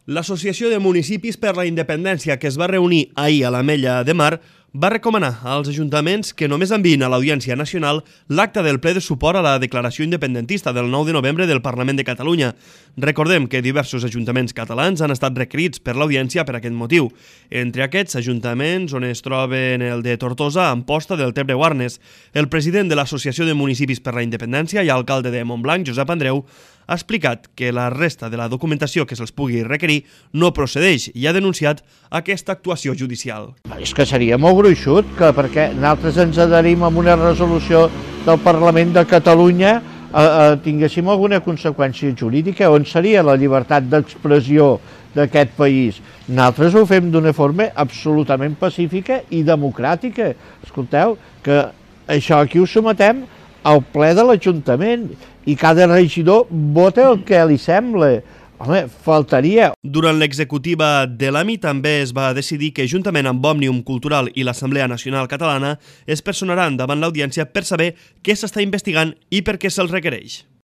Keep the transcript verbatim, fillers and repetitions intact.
L'Associació de Municipis per la Independència, que es va reunir ahir a l'Ametlla de Mar, va recomanar als ajuntaments que només enviïn a l'Audiència Nacional l'acta del ple de suport a la declaració independentista del nou de novembre del Parlament de Catalunya. Recordem que diversos ajuntaments catalans han estat requerits per l'Audiència per aquest motiu. Entre aquests ajuntaments on es troben el de Tortosa, Amposta, del Tebre-Guarnes. El president de l'Associació de Municipis per la Independència i alcalde de Montblanc, Josep Andreu, ha explicat que la resta de la documentació que se'ls pugui requerir no procedeix i ha denunciat aquesta actuació judicial. És que seria molt gruixut, que perquè nosaltres ens adherim a una resolució del Parlament de Catalunya eh, eh, tinguéssim alguna conseqüència jurídica. On seria la llibertat d'expressió d'aquest país? Nosaltres ho fem d'una forma absolutament pacífica i democràtica. Escolteu, que això aquí ho sometem al ple de l'Ajuntament i cada regidor vota el que li sembla. Home, faltaria. Durant l'executiva de l'A M I també es va decidir que, juntament amb Òmnium Cultural i l'Assemblea Nacional Catalana, es personaran davant l'Audiència per saber què s'està investigant i per què se'ls requereix.